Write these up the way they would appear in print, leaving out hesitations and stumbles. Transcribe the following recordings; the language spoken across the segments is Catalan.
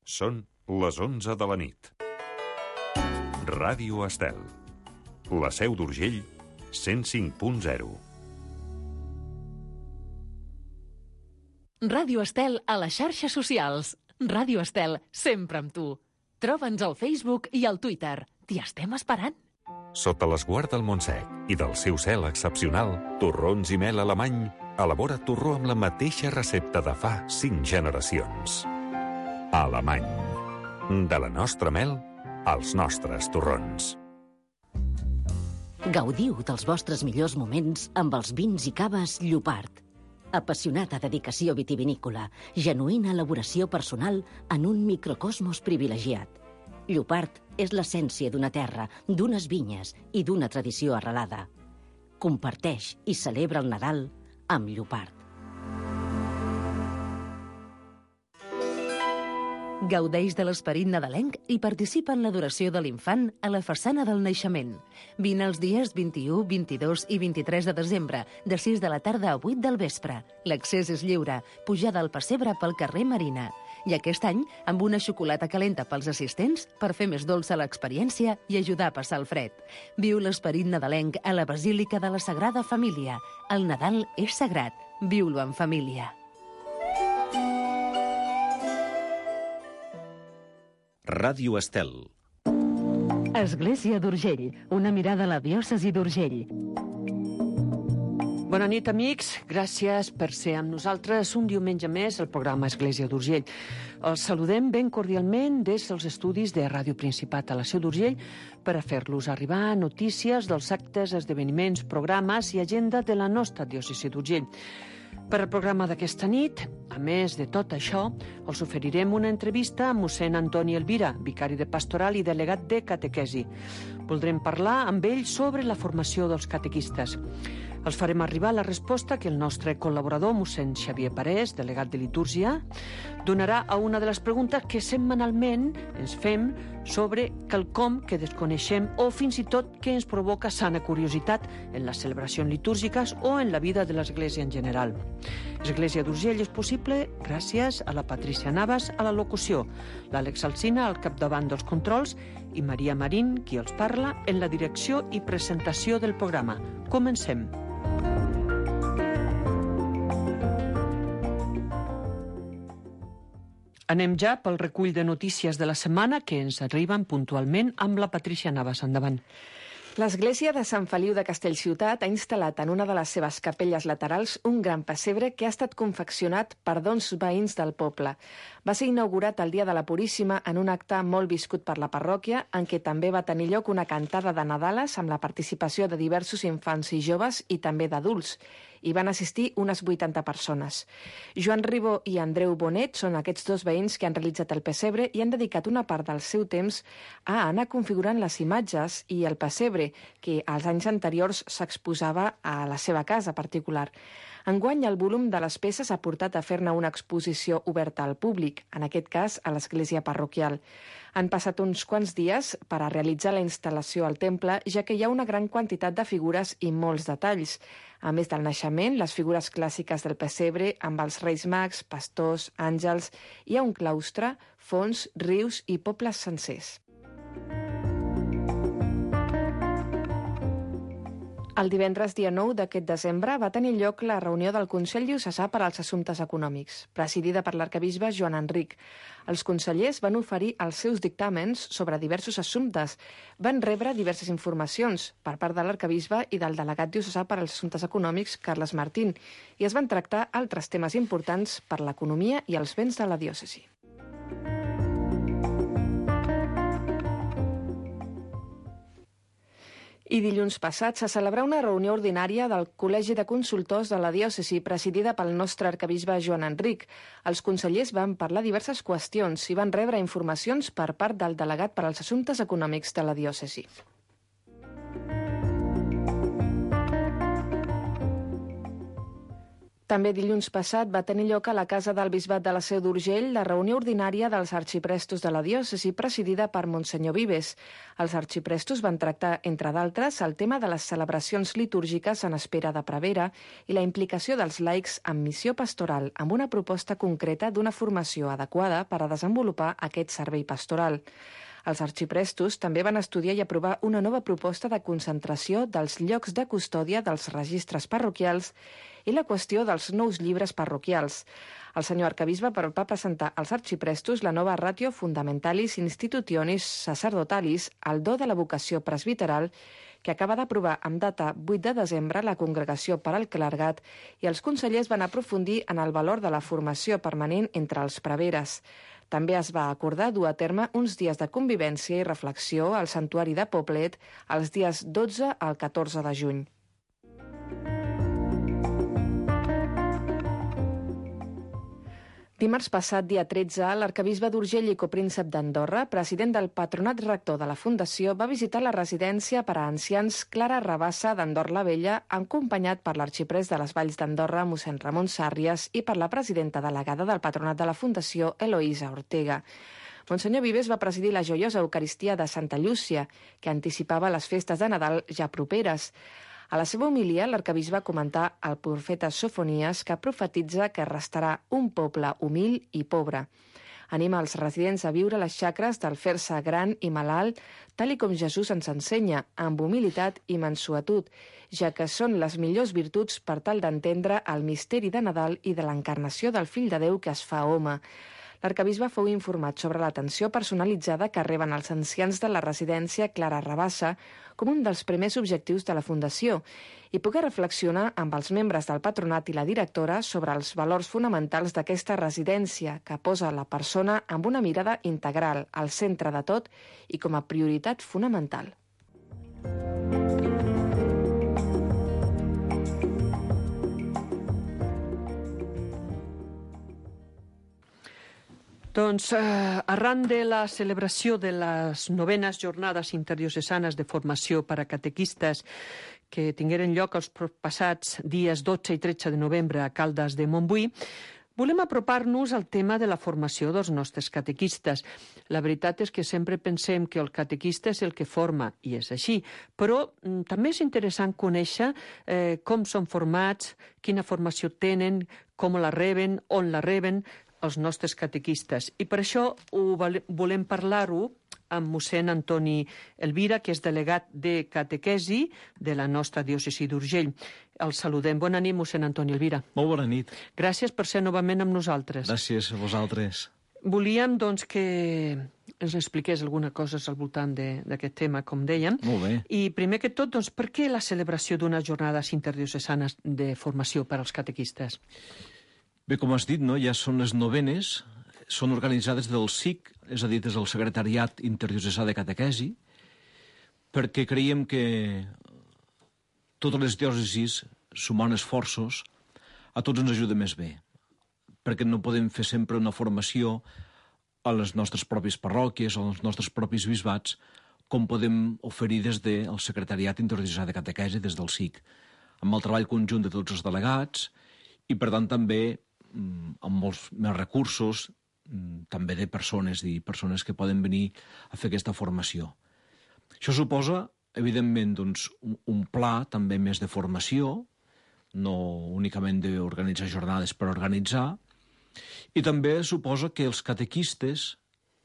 Són les 11 de la nit. Ràdio Estel. La Seu d'Urgell, 105.0. Ràdio Estel a les xarxes socials. Ràdio Estel, sempre amb tu. Troba'ns al Facebook i al Twitter. T'hi estem esperant. Sota l'esguard del Montsec i del seu cel excepcional, Torrons i Mel Alemany elabora torró amb la mateixa recepta de fa 5 generacions. Alemany. De la nostra mel als nostres torrons. Gaudiu dels vostres millors moments amb els vins i caves Llopart. Apassionada dedicació vitivinícola, genuïna elaboració personal en un microcosmos privilegiat. Llopart és l'essència d'una terra, d'unes vinyes i d'una tradició arrelada. Comparteix i celebra el Nadal amb Llopart. Gaudeix de l'esperit nadalenc i participa en l'adoració de l'infant a la façana del naixement. Vine els dies 21, 22 i 23 de desembre, de 6 de la tarda a 8 del vespre. L'accés és lliure, pujada al pessebre pel carrer Marina. I aquest any, amb una xocolata calenta pels assistents per fer més dolça l'experiència i ajudar a passar el fred. Viu l'esperit nadalenc a la Basílica de la Sagrada Família. El Nadal és sagrat. Viu-lo en família. Ràdio Estel. Església d'Urgell, una mirada a la diòcesi d'Urgell. Bona nit, amics. Gràcies per ser amb nosaltres un diumenge més al programa Església d'Urgell. Els saludem ben cordialment des dels estudis de Ràdio Principat a la Seu d'Urgell per a fer-los arribar notícies dels actes, esdeveniments, programes i agenda de la nostra diòcesi d'Urgell. Per al programa d'aquesta nit, a més de tot això, us oferirem una entrevista amb mossèn Antoni Elvira, vicari de pastoral i delegat de catequesi. Voldrem parlar amb ell sobre la formació dels catequistes. Els farem arribar la resposta que el nostre col·laborador, mossèn Xavier Parés, delegat de litúrgia, donarà a una de les preguntes que setmanalment ens fem sobre quelcom que desconeixem o fins i tot que ens provoca sana curiositat en les celebracions litúrgiques o en la vida de l'Església en general. Església d'Urgell és possible gràcies a la Patrícia Navas a la locució, l'Àlex Alsina al capdavant dels controls i Maria Marín, qui els parla, en la direcció i presentació del programa. Comencem. Anem ja pel recull de notícies de la setmana que ens arriben puntualment amb la Patrícia Navas. Endavant. L'església de Sant Feliu de Castellciutat ha instal·lat en una de les seves capelles laterals un gran pessebre que ha estat confeccionat per dos veïns del poble. Va ser inaugurat el dia de la Puríssima en un acte molt viscut per la parròquia, en què també va tenir lloc una cantada de Nadales amb la participació de diversos infants i joves i també d'adults. Hi van assistir unes 80 persones. Joan Ribó i Andreu Bonet són aquests dos veïns que han realitzat el pessebre i han dedicat una part del seu temps a anar configurant les imatges i el pessebre, que als anys anteriors s'exposava a la seva casa particular. Enguany, el volum de les peces ha portat a fer-ne una exposició oberta al públic, en aquest cas a l'església parroquial. Han passat uns quants dies per a realitzar la instal·lació al temple, ja que hi ha una gran quantitat de figures i molts detalls. A més del naixement, les figures clàssiques del pessebre, amb els reis mags, pastors, àngels, hi ha un claustre, fonts, rius i pobles sencers. El divendres dia 9 d'aquest desembre va tenir lloc la reunió del Consell Diocesà per als Assumptes Econòmics, presidida per l'arquebisbe Joan Enric. Els consellers van oferir els seus dictàmens sobre diversos assumptes. Van rebre diverses informacions per part de l'arquebisbe i del delegat diocesà per als Assumptes Econòmics, Carles Martín, i es van tractar altres temes importants per l'economia i els béns de la diòcesi. I dilluns passat se celebrà una reunió ordinària del Col·legi de Consultors de la Diòcesi, presidida pel nostre arquebisbe Joan Enric. Els consellers van parlar diverses qüestions i van rebre informacions per part del delegat per als Assumptes Econòmics de la Diòcesi. També dilluns passat va tenir lloc a la Casa del Bisbat de la Seu d'Urgell la reunió ordinària dels arxiprestos de la diòcesi presidida per Monsenyor Vives. Els arxiprestos van tractar, entre d'altres, el tema de les celebracions litúrgiques en espera de prevera i la implicació dels laics en missió pastoral, amb una proposta concreta d'una formació adequada per a desenvolupar aquest servei pastoral. Els arxiprestos també van estudiar i aprovar una nova proposta de concentració dels llocs de custòdia dels registres parroquials i la qüestió dels nous llibres parroquials. El senyor arcabisbe va presentar als arxiprestos la nova Ratio Fundamentalis Institutionis Sacerdotalis, el do de la vocació presbiteral, que acaba d'aprovar amb data 8 de desembre la Congregació per al Clergat, i els consellers van aprofundir en el valor de la formació permanent entre els preveres. També es va acordar dur a terme uns dies de convivència i reflexió al Santuari de Poblet els dies 12 al 14 de juny. Dimarts passat, dia 13, l'arcabisbe d'Urgell i copríncep d'Andorra, president del patronat rector de la Fundació, va visitar la residència per a ancians Clara Rabassa d'Andorra la Vella, acompanyat per l'arxiprés de les Valls d'Andorra, mossèn Ramon Sàrries, i per la presidenta delegada del patronat de la Fundació, Eloïsa Ortega. Monsenyor Vives va presidir la joiosa Eucaristia de Santa Llúcia, que anticipava les festes de Nadal ja properes. A la seva homilia, l'arcabisbe va comentar el profeta Sofonies, que profetitza que restarà un poble humil i pobre. Anima els residents a viure les xacres del fer-se gran i malalt, tal i com Jesús ens ensenya, amb humilitat i mansuetud, ja que són les millors virtuts per tal d'entendre el misteri de Nadal i de l'encarnació del Fill de Déu que es fa home. L'arcabisbe fou informat sobre l'atenció personalitzada que reben els ancians de la residència Clara Rabassa com un dels primers objectius de la Fundació i poder reflexionar amb els membres del patronat i la directora sobre els valors fonamentals d'aquesta residència que posa la persona amb una mirada integral al centre de tot i com a prioritat fonamental. Doncs, arran de la celebració de les novenes jornades interdiocesanes de formació per a catequistes que tingueren lloc els passats dies 12 i 13 de novembre a Caldes de Montbui, volem apropar-nos al tema de la formació dels nostres catequistes. La veritat és que sempre pensem que el catequista és el que forma, i és així, però també és interessant conèixer com són formats, quina formació tenen, com la reben, on la reben, els nostres catequistes. I per això volem parlar-ho amb mossèn Antoni Elvira, que és delegat de catequesi de la nostra diòcesi d'Urgell. El saludem. Bona nit, mossèn Antoni Elvira. Molt bona nit. Gràcies per ser novament amb nosaltres. Gràcies a vosaltres. Volíem, doncs, que ens expliqués alguna cosa al voltant d'aquest tema, com dèiem. Molt bé. I primer que tot, doncs, per què la celebració d'unes jornades interdiocesanes de formació per als catequistes? Bé, com has dit, no? Ja són les novenes, són organitzades del SIC, és a dir, des del Secretariat Interdiocesà de Catequesi, perquè creiem que totes les diòcesis, sumant esforços, a tots ens ajuda més bé, perquè no podem fer sempre una formació a les nostres pròpies parròquies o als nostres propis bisbats, com podem oferir des del Secretariat Interdiocesà de Catequesi, des del SIC, amb el treball conjunt de tots els delegats i, per tant, també amb molts més recursos, també de persones que poden venir a fer aquesta formació. Això suposa, evidentment, doncs, un pla també més de formació, no únicament d'organitzar jornades per organitzar, i també suposa que els catequistes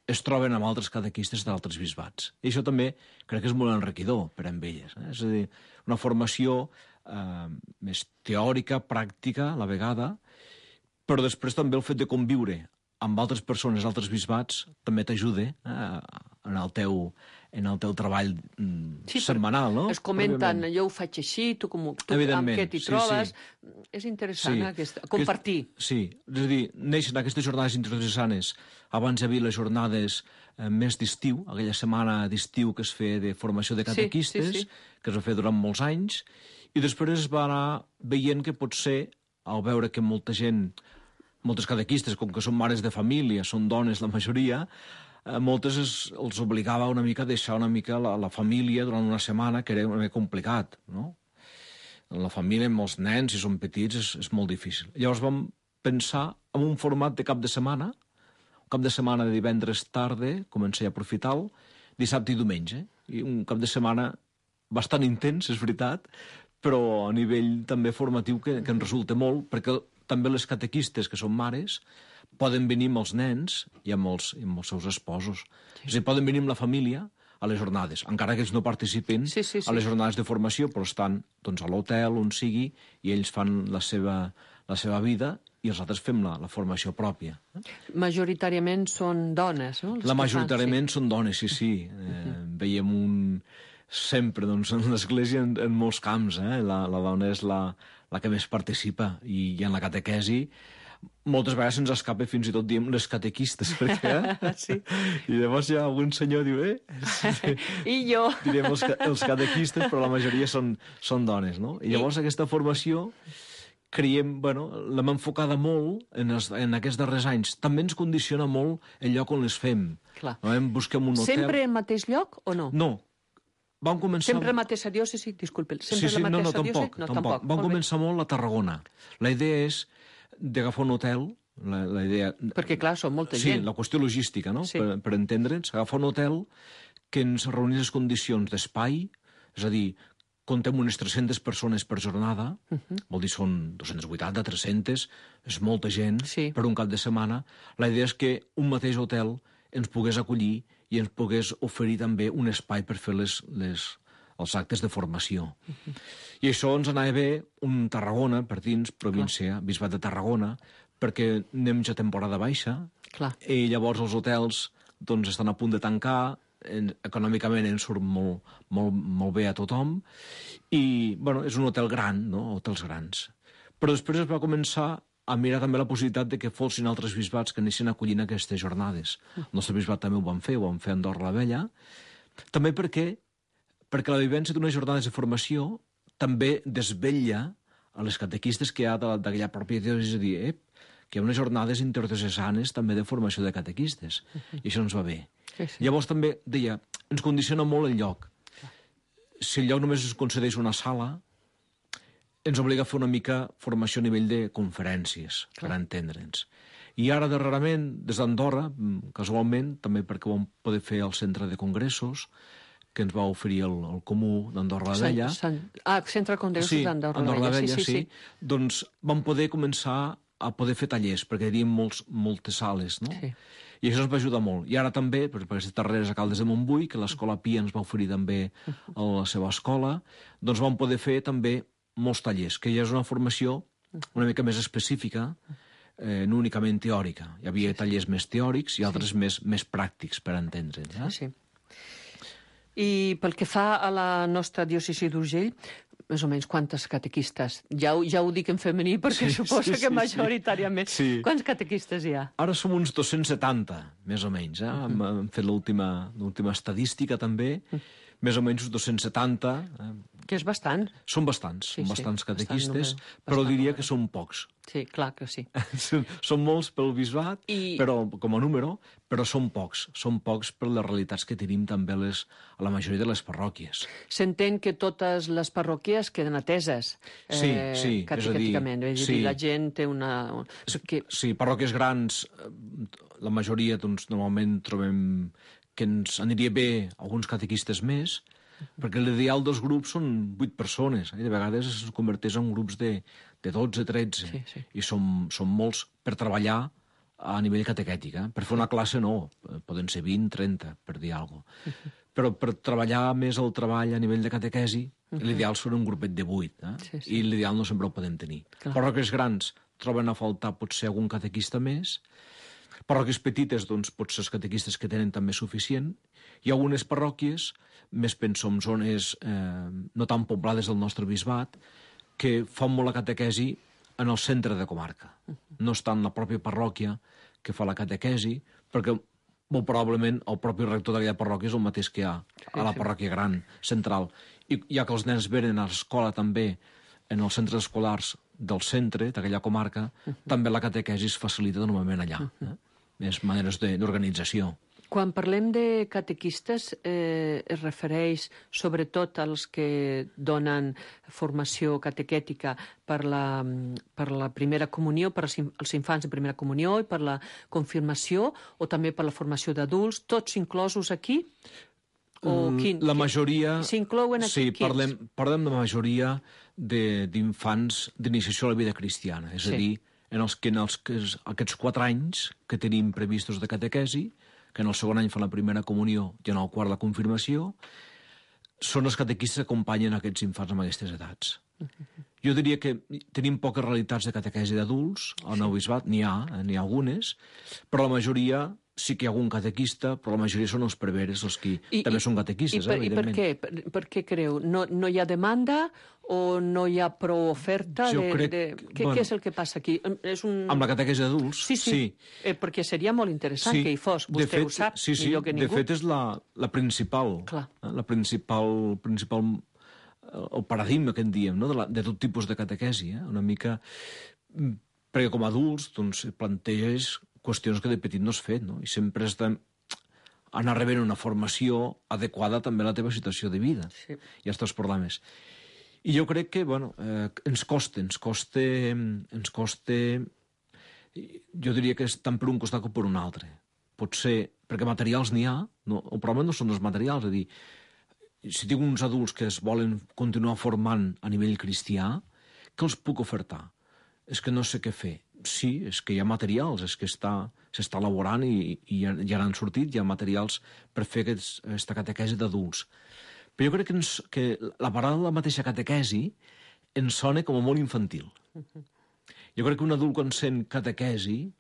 es troben amb altres catequistes d'altres bisbats. I això també crec que és molt enriquidor per a elles. És a dir, una formació més teòrica, pràctica, a la vegada, però després també el fet de conviure amb altres persones, altres bisbats, també t'ajuda en el teu treball setmanal, no? Es comenten, jo ho faig així, tu amb què t'hi trobes. Sí. És interessant compartir. Sí, és a dir, neixen aquestes jornades interdiocesanes. Abans hi havia les jornades més d'estiu, aquella setmana d'estiu que es feia de formació de catequistes, que es va fer durant molts anys, i després es va anar veient que potser, al veure que moltes catequistes, com que són mares de família, són dones la majoria, moltes els obligava una mica a deixar una mica la família durant una setmana, que era una mica complicat, no? la família, amb els nens, si són petits, és molt difícil. Llavors vam pensar en un format de cap de setmana, un cap de setmana de divendres tarda, comencé a aprofitar-lo, dissabte i diumenge. I un cap de setmana bastant intens, és veritat, però a nivell també formatiu que ens resulta molt, perquè també les catequistes, que són mares, poden venir amb els nens i amb els seus esposos. Sí. És a dir, poden venir amb la família a les jornades, encara que ells no participen a les jornades de formació, però estan doncs, a l'hotel, on sigui, i ells fan la seva vida i els altres fem la formació pròpia. Majoritàriament són dones, no? Majoritàriament són dones, sí. Veiem sempre doncs, en l'Església en molts camps. La dona és la que més participa i en la catequesi moltes vegades se'ns escapa fins i tot diem les catequistes, perquè... Sí. I llavors hi ha algun senyor que diu, I jo. Direm els catequistes, però la majoria són dones, no? I llavors aquesta formació creiem, l'hem enfocada molt en aquests darrers anys. També ens condiciona molt el lloc on les fem. Clar. Busquem un hotel... Sempre al mateix lloc o no? No. Vam començar... Sempre la mateixa diòcesi? Disculpe. Sempre la mateixa diòcesi? No, tampoc. Vam començar molt a Tarragona. La idea és d'agafar un hotel, la idea... Perquè, clar, són molta gent. Sí, la qüestió logística, no? Sí. Per entendre'ns, agafar un hotel que ens reunís les condicions d'espai, és a dir, comptem unes 300 persones per jornada, vol dir són 280, 300, és molta gent per un cap de setmana. La idea és que un mateix hotel ens pogués acollir i ens pogués oferir també un espai per fer els actes de formació. I això ens anava bé un Tarragona, per dins, província, Bisbat de Tarragona, perquè anem ja a temporada baixa, i llavors els hotels estan a punt de tancar, econòmicament ens surt molt bé a tothom, i és un hotel gran, no? Hotels grans. Però després es va començar a mirar també la possibilitat de que fossin altres bisbats que anessin acollint aquestes jornades. El nostre bisbat també ho van fer a Andorra la Vella, també perquè la vivència d'unes jornades de formació també desvetlla a les catequistes que hi ha d'aquella pròpia diòcesi, és a dir, que hi ha unes jornades interdiocesanes també de formació de catequistes, i això ens va bé. Sí. Llavors també, deia, ens condiciona molt el lloc. Si el lloc només ens concedeix una sala, ens obliga a fer una mica formació a nivell de conferències, per entendre'ns. I ara, darrerament, des d'Andorra, casualment, també perquè ho vam poder fer al centre de congressos, que ens va oferir el Comú d'Andorra la Vella. Centre de Congressos d'Andorra la Vella, sí. Doncs vam poder començar a poder fer tallers, perquè teníem moltes sales, no? Sí. I això ens va ajudar molt. I ara també, per aquestes darreres a Caldes de Montbui, que l'Escola Pia ens va oferir també a la seva escola, doncs vam poder fer també molts tallers, que ja és una formació una mica més específica, no únicament teòrica. Hi havia tallers més teòrics i altres més pràctics, per entendre'ns. Sí. I pel que fa a la nostra diòcesi d'Urgell, més o menys quantes catequistes? Ja ho dic en femení perquè suposo que majoritàriament. Sí. Quants catequistes hi ha? Ara som uns 270, més o menys. Hem fet l'última estadística també, més o menys uns 270. Que és bastant. Són bastants catequistes, però diria que són pocs. Sí, clar que sí. Són molts pel bisbat, però com a número, però són pocs per les realitats que tenim també a la majoria de les parròquies. S'entén que totes les parròquies queden ateses catequèticament. És a dir, la gent té una... Sí, parròquies grans, la majoria normalment trobem que ens aniria bé alguns catequistes més, perquè l'ideal dels grups són 8 persones, i de vegades es converteix en grups de 12, 13, i són molts per treballar a nivell catequètic. Per fer una classe no, poden ser 20, 30, per dir alguna cosa. Però per treballar més el treball a nivell de catequesi, l'ideal són un grupet de 8, i l'ideal no sempre ho podem tenir. Parròquies grans troben a faltar potser algun catequista més, parròquies petites, doncs, potser els catequistes que tenen també suficient, i algunes parròquies, més penso en zones no tan poblades del nostre bisbat, que fan molt la catequesi en el centre de comarca. No està en la pròpia parròquia que fa la catequesi, perquè molt probablement el propi rector d'aquella parròquia és el mateix que hi ha a la parròquia gran, central. I ja que els nens venen a l'escola també, en els centres escolars del centre, d'aquella comarca, també la catequesi es facilita normalment allà. Més maneres d'organització. Quan parlem de catequistes, es refereix sobretot als que donen formació catequètica per la primera comunió, per als infants de primera comunió i per la confirmació, o també per la formació d'adults, tots inclosos aquí? La majoria... S'inclouen aquí? Sí, parlem de majoria d'infants d'iniciació a la vida cristiana, és a dir, aquests 4 anys que tenim previstos de catequesi, que en el segon any fan la primera comunió i en el quart la confirmació, són els catequistes que acompanyen aquests infants amb aquestes edats. Jo diria que tenim poques realitats de catequesi d'adults al Nou Bisbat, n'hi ha algunes, però la majoria sí que hi ha algun catequista, però la majoria són els preveres, els que també són catequistes, evidentment. I per què? Per què creu? No hi ha demanda o no hi ha prou oferta? Què és el que passa aquí? Amb la catequesi d'adults? Sí. Perquè seria molt interessant que hi fos. Vostè ho sap millor que ningú. De fet, és la principal, el paradigma que en diem, no? de tot tipus de catequesi, una mica... Perquè com a adults planteges qüestions que de petit no has fet, no? I sempre has d'anar rebent una formació adequada també a la teva situació de vida i als teus problemes. I jo crec que, ens costa, jo diria que és tant per un costat com per un altre. Potser, perquè materials n'hi ha, el problema no són els materials, és a dir, si tinc uns adults que es volen continuar formant a nivell cristià, què els puc ofertar? És que no sé què fer. Sí, és que hi ha materials, és que s'està elaborant i ja n'han sortit, hi ha materials per fer aquesta catequesi d'adults. Però jo crec que la paraula de la mateixa catequesi ens sona com a molt infantil. Jo crec que un adult quan sent catequesi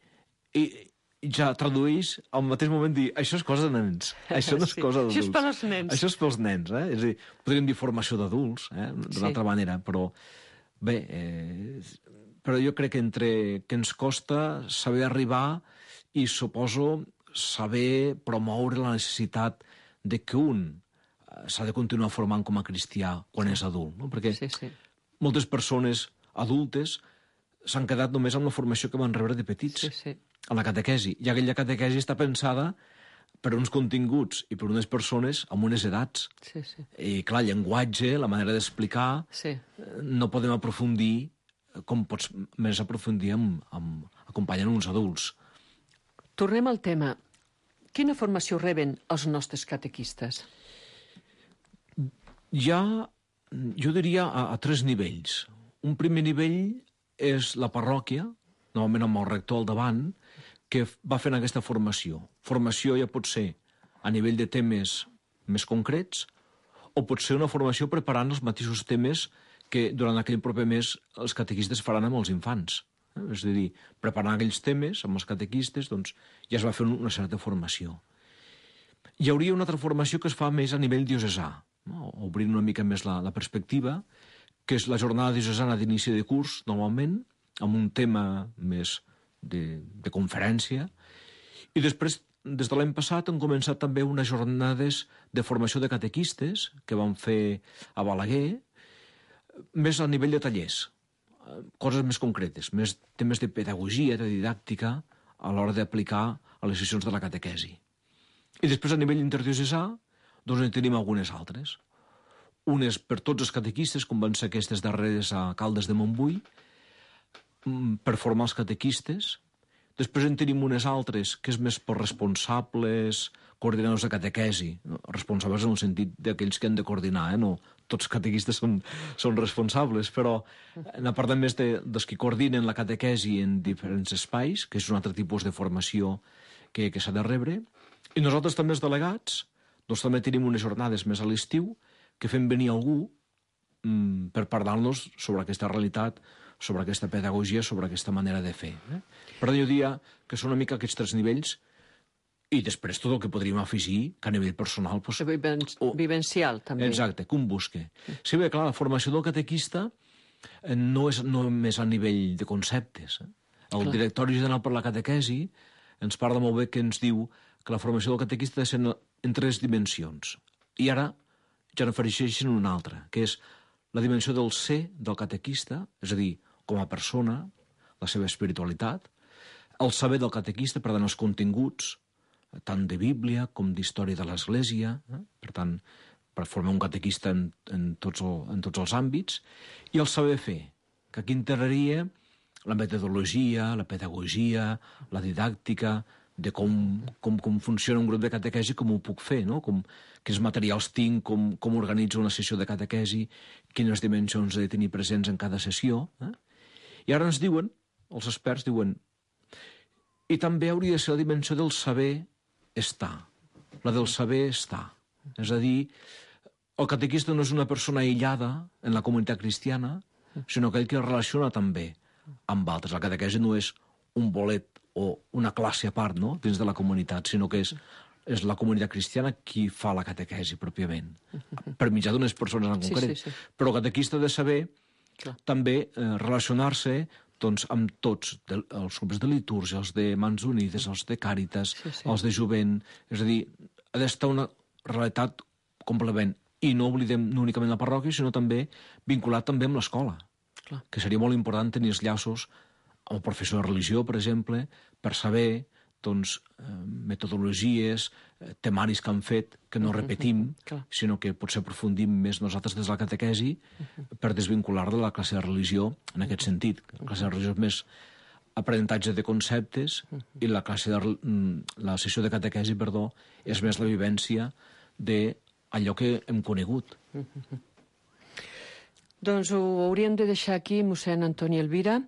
ja tradueix al mateix moment dir això és cosa de nens, això no és cosa d'adults. Això és pels nens. Això és pels nens, És a dir, podríem dir formació d'adults, d'una altra manera, però bé... Però jo crec que ens costa saber arribar i, suposo, saber promoure la necessitat de que un s'ha de continuar formant com a cristià quan és adult, no? Perquè moltes persones adultes s'han quedat només amb la formació que van rebre de petits, a la catequesi. I aquella catequesi està pensada per uns continguts i per unes persones amb unes edats. I, clar, el llenguatge, la manera d'explicar, no podem aprofundir com pots més aprofundir acompanyant uns adults. Tornem al tema. Quina formació reben els nostres catequistes? Jo diria a 3 nivells. Un primer nivell és la parròquia, normalment amb el rector al davant, que va fent aquesta formació. Formació ja pot ser a nivell de temes més concrets o pot ser una formació preparant els mateixos temes que durant aquell proper mes els catequistes faran amb els infants. És a dir, preparant aquells temes amb els catequistes, doncs ja es va fer una certa formació. Hi hauria una altra formació que es fa més a nivell diocesà, obrint una mica més la perspectiva, que és la jornada diocesana d'inici de curs, normalment, amb un tema més de conferència. I després, des de l'any passat, han començat també unes jornades de formació de catequistes que van fer a Balaguer, més a nivell de tallers, coses més concretes, més temes de pedagogia, de didàctica, a l'hora d'aplicar a les sessions de la catequesi. I després, a nivell interdiocesà, doncs en tenim algunes altres. Unes per tots els catequistes, com van ser aquestes darreres a Caldes de Montbui, per formar els catequistes. Després en tenim unes altres que és més per responsables, coordinadors de catequesi, responsables en el sentit d'aquells que han de coordinar, no tots els catequistes són responsables, però n'ha parlat més dels que coordinen la catequesi en diferents espais, que és un altre tipus de formació que s'ha de rebre. I nosaltres també, els delegats, doncs també tenim unes jornades més a l'estiu que fem venir algú per parlar-nos sobre aquesta realitat, sobre aquesta pedagogia, sobre aquesta manera de fer. Per tant, jo diria que són una mica aquests 3 nivells i després tot el que podríem afegir que a nivell personal... Vivencial, també. Exacte, que un busque. Sí, bé, clar, la formació del catequista no és només a nivell de conceptes. El Directori General per la Catequesi ens parla molt bé que ens diu que la formació del catequista ha de ser en 3 dimensions. I ara ja n'afegeixen una altra, que és la dimensió del ser del catequista, és a dir, com a persona, la seva espiritualitat, el saber del catequista, per tant, els continguts, tant de Bíblia com d'història de l'Església, per tant, per formar un catequista en tots els àmbits, i el saber fer, que aquí integraria la metodologia, la pedagogia, la didàctica, de com funciona un grup de catequesi, com ho puc fer, no? Quins materials tinc, com organitzo una sessió de catequesi, quines dimensions he de tenir presents en cada sessió. I ara ens diuen, els experts diuen, i també hauria de ser la dimensió del saber estar, la del saber estar. És a dir, el catequista no és una persona aïllada en la comunitat cristiana, sinó aquell que es relaciona també amb altres. La catequesi no és un bolet o una classe a part, no?, dins de la comunitat, sinó que és la comunitat cristiana qui fa la catequesi pròpiament, per mitjà d'unes persones en concret. Sí. Però el catequista ha de saber també relacionar-se doncs, amb tots els grups de litúrgia, els de Mans Unides, els de Càritas, els de Jovent. És a dir, ha d'estar una realitat complement. I no oblidem no únicament la parròquia, sinó també vinculat també amb l'escola, que seria molt important tenir els llaços amb el professor de religió, per exemple, per saber doncs, metodologies, temaris que han fet, que no repetim, sinó que potser aprofundim més nosaltres des de la catequesi per desvincular de la classe de religió en aquest sentit. La classe de religió és més aprenentatge de conceptes i la sessió de catequesi, és més la vivència d'allò que hem conegut. Doncs ho hauríem de deixar aquí, mossèn Antoni Elvira.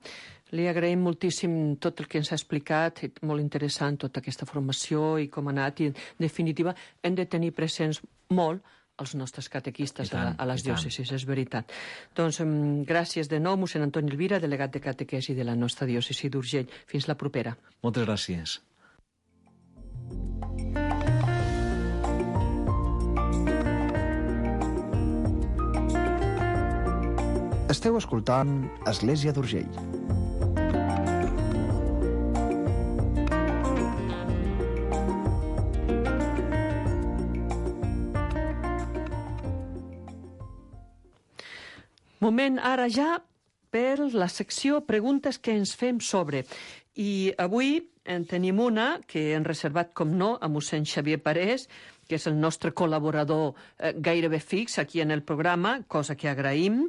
Li agraïm moltíssim tot el que ens ha explicat, molt interessant tota aquesta formació i com ha anat, i en definitiva hem de tenir presents molt els nostres catequistes a les diòcesis, és veritat. Doncs gràcies de nou, mossèn Antoni Elvira, delegat de catequesi de la nostra diòcesi d'Urgell. Fins la propera. Moltes gràcies. Esteu escoltant Església d'Urgell. Moment ara ja per la secció Preguntes que ens fem sobre. I avui en tenim una que hem reservat, com no, a mossèn Xavier Parés, que és el nostre col·laborador gairebé fix aquí en el programa, cosa que agraïm.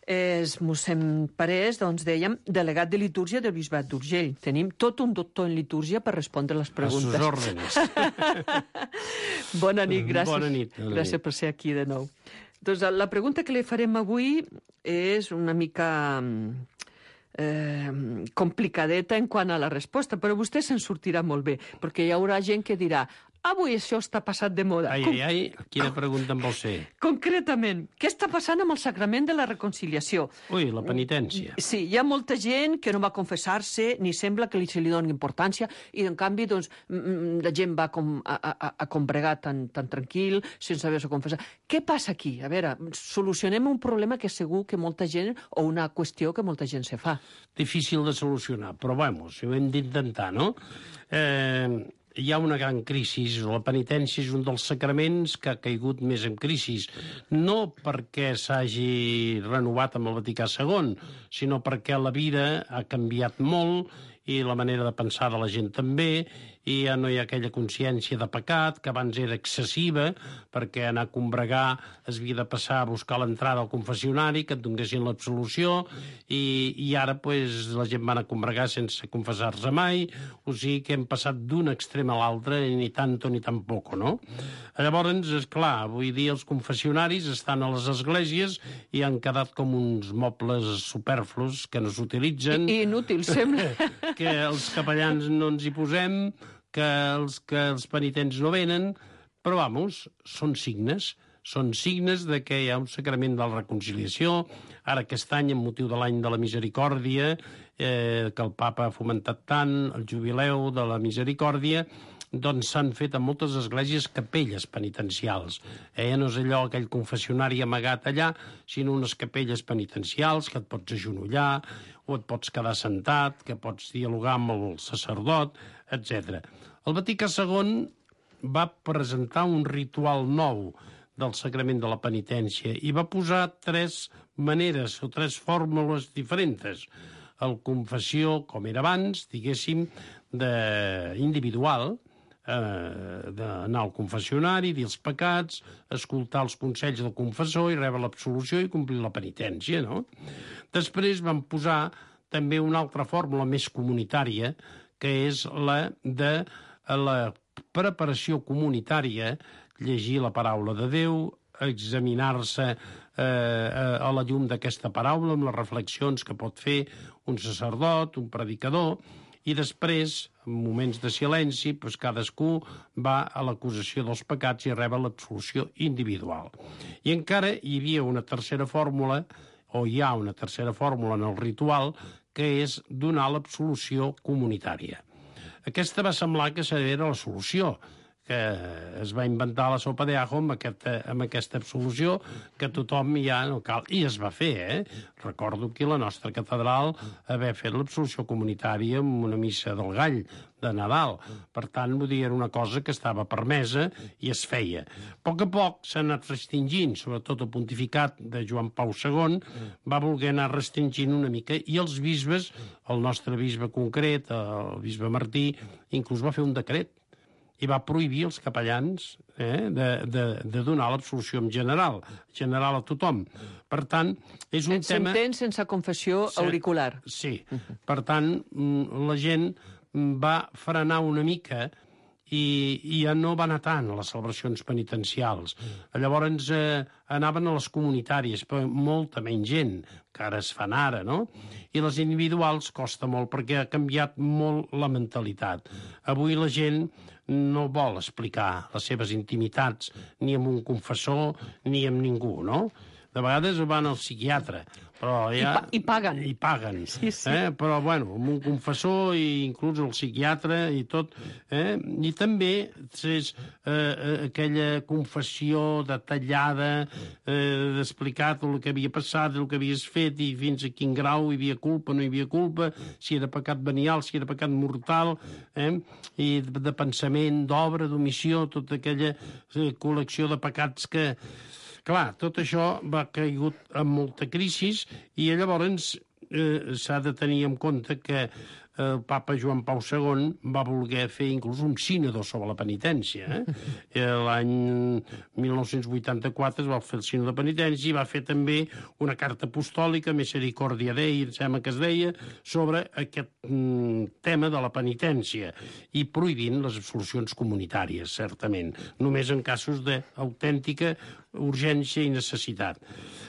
És mossèn Parés, doncs dèiem, delegat de litúrgia del Bisbat d'Urgell. Tenim tot un doctor en litúrgia per respondre les preguntes. A sus órdenes. Bona nit, gràcies. Bona nit. Gràcies per ser aquí de nou. Doncs la pregunta que li farem avui és una mica complicadeta en quant a la resposta, però vostè se'n sortirà molt bé, perquè hi haurà gent que dirà avui això està passat de moda. Ai, quina pregunta em vol ser? Concretament, què està passant amb el sacrament de la reconciliació? Ui, la penitència. Sí, hi ha molta gent que no va confessar-se, ni sembla que se li doni importància, i en canvi, doncs, la gent va a combregar tan tranquil, sense haver-se confessat. Què passa aquí? A veure, solucionem un problema que segur que molta gent, o una qüestió que molta gent se fa. Difícil de solucionar, però, si ho hem d'intentar, no? Hi ha una gran crisi. La penitència és un dels sacraments que ha caigut més en crisi. No perquè s'hagi renovat amb el Vaticà II, sinó perquè la vida ha canviat molt i la manera de pensar de la gent també, i ja no hi ha aquella consciència de pecat, que abans era excessiva, perquè anar a combregar es havia de passar a buscar l'entrada al confessionari, que et donessin l'absolució, i ara la gent va anar a combregar sense confessar-se mai, o sigui que hem passat d'un extrem a l'altre, ni tanto ni tampoco, no? Llavors, esclar, avui dia els confessionaris estan a les esglésies i han quedat com uns mobles superflus que no s'utilitzen. Inútils, sembla. Que els capellans no ens hi posem, que els penitents no venen, però, són signes de que hi ha un sacrament de la reconciliació. Ara aquest any, amb motiu de l'any de la misericòrdia, que el papa ha fomentat tant, el jubileu de la misericòrdia, doncs s'han fet a moltes esglésies capelles penitencials. No és allò, aquell confessionari amagat allà, sinó unes capelles penitencials que et pots agenollar, o et pots quedar sentat, que pots dialogar amb el sacerdot, etc. El Vaticà II va presentar un ritual nou del sacrament de la penitència i va posar 3 maneres o 3 fórmules diferents. El confessió, com era abans, diguéssim, individual, d'anar al confessionari, dir els pecats, escoltar els consells del confessor i rebre l'absolució i complir la penitència, no? Després van posar també una altra fórmula més comunitària, que és la de la preparació comunitària, llegir la paraula de Déu, examinar-se a la llum d'aquesta paraula, amb les reflexions que pot fer un sacerdot, un predicador, i després, en moments de silenci, doncs cadascú va a l'acusació dels pecats i rep l'absolució individual. I encara hi havia una tercera fórmula, o hi ha una tercera fórmula en el ritual, que és donar l'absolució comunitària. Aquesta va semblar que era la solució, que es va inventar la sopa d'ajo amb aquesta absolució, que tothom ja no cal. I es va fer, Recordo aquí la nostra catedral haver fet l'absolució comunitària amb una missa del Gall de Nadal. Per tant, vull dir, era una cosa que estava permesa i es feia. A poc s'ha anat restringint, sobretot el pontificat de Joan Pau II, va voler anar restringint una mica, i els bisbes, el nostre bisbe concret, el bisbe Martí, inclús va fer un decret i va prohibir els capellans de donar l'absolució en general a tothom. Per tant, és un tema... S'entén sense confessió auricular. Sí. Per tant, la gent va frenar una mica i ja no va anar tant a les celebracions penitencials. Llavors anaven a les comunitàries, però molta menys gent, que ara es fan ara, no? I les individuals costa molt, perquè ha canviat molt la mentalitat. Avui la gent no vol explicar les seves intimitats ni amb un confessor ni amb ningú, no? De vegades van al psiquiatre, però ja... I paguen. I paguen. Sí. Però, bueno, amb un confessor i inclús el psiquiatre i tot. I també és aquella confessió detallada, d'explicar tot el que havia passat, el que havies fet i fins a quin grau hi havia culpa, no hi havia culpa, si era pecat venial, si era pecat mortal, i de pensament, d'obra, d'omissió, tota aquella col·lecció de pecats que... Clar, tot això va caigut en molta crisi i llavors s'ha de tenir en compte que el papa Joan Pau II va voler fer inclús un sínodo sobre la penitència. L'any 1984 es va fer el sínodo de penitència i va fer també una carta apostòlica, Misericordia Dei, em sembla que es deia, sobre aquest tema de la penitència i prohibint les absolucions comunitàries, certament, només en casos d'autèntica urgència i necessitat.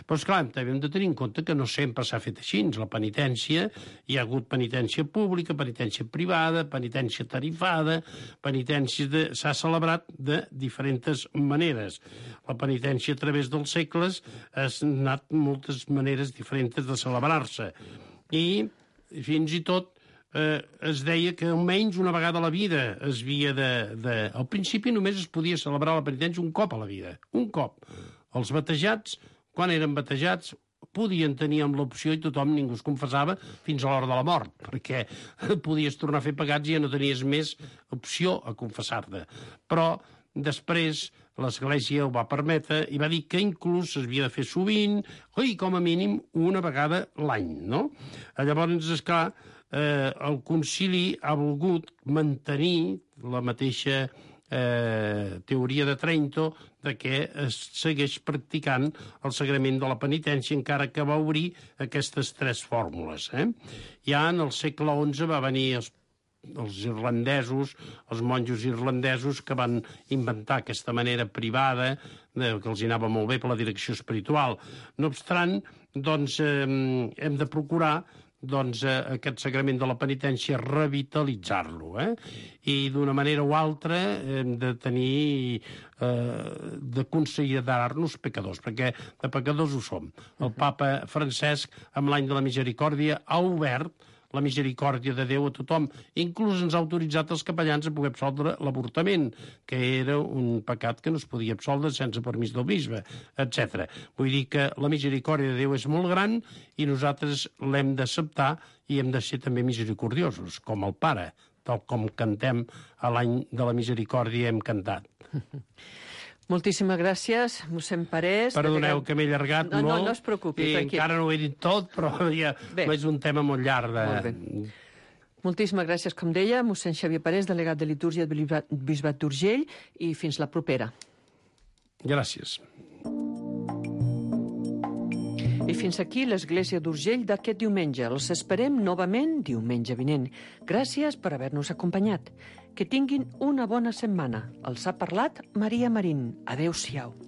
Però, esclar, també hem de tenir en compte que no sempre s'ha fet així. La penitència, hi ha hagut penitència pública, penitència privada, penitència tarifada, s'ha celebrat de diferents maneres. La penitència a través dels segles ha anat moltes maneres diferents de celebrar-se. I fins i tot es deia que almenys una vegada a la vida es havia de... Al principi només es podia celebrar la penitència un cop a la vida, un cop. Els batejats, quan eren batejats, podien tenir amb l'opció i tothom, ningú es confessava fins a l'hora de la mort, perquè podies tornar a fer pecats i ja no tenies més opció a confessar-te. Però després l'Església ho va permetre i va dir que inclús s'havia de fer sovint, i com a mínim una vegada l'any, no? Llavors, esclar, el concili ha volgut mantenir la mateixa teoria de Trento de que es segueix practicant el sagrament de la penitència, encara que va obrir aquestes tres fórmules. Ja en el segle XI va venir els irlandesos, els monjos irlandesos, que van inventar aquesta manera privada, que els anava molt bé per la direcció espiritual. No obstant, doncs, hem de procurar aquest sagrament de la penitència revitalitzar-lo, i d'una manera o altra hem de tenir de considerar-nos pecadors, perquè de pecadors ho som. El papa Francesc, amb l'any de la misericòrdia, ha obert la misericòrdia de Déu a tothom. Inclús ens ha autoritzat els capellans a poder absoldre l'avortament, que era un pecat que no es podia absoldre sense permís del bisbe, etc. Vull dir que la misericòrdia de Déu és molt gran i nosaltres l'hem d'acceptar i hem de ser també misericordiosos, com el Pare, tal com cantem a l'any de la misericòrdia hem cantat. Moltíssimes gràcies, mossèn Parés. Perdoneu que m'he allargat molt. No es preocupi. I encara no ho he dit tot, però ja és un tema molt llarg. Molt bé. Moltíssimes gràcies, com deia, mossèn Xavier Parés, delegat de litúrgia del Bisbat d'Urgell, i fins la propera. Gràcies. I fins aquí l'Església d'Urgell d'aquest diumenge. Els esperem novament diumenge vinent. Gràcies per haver-nos acompanyat. Que tinguin una bona setmana. Els ha parlat Maria Marín. Adéu-siau.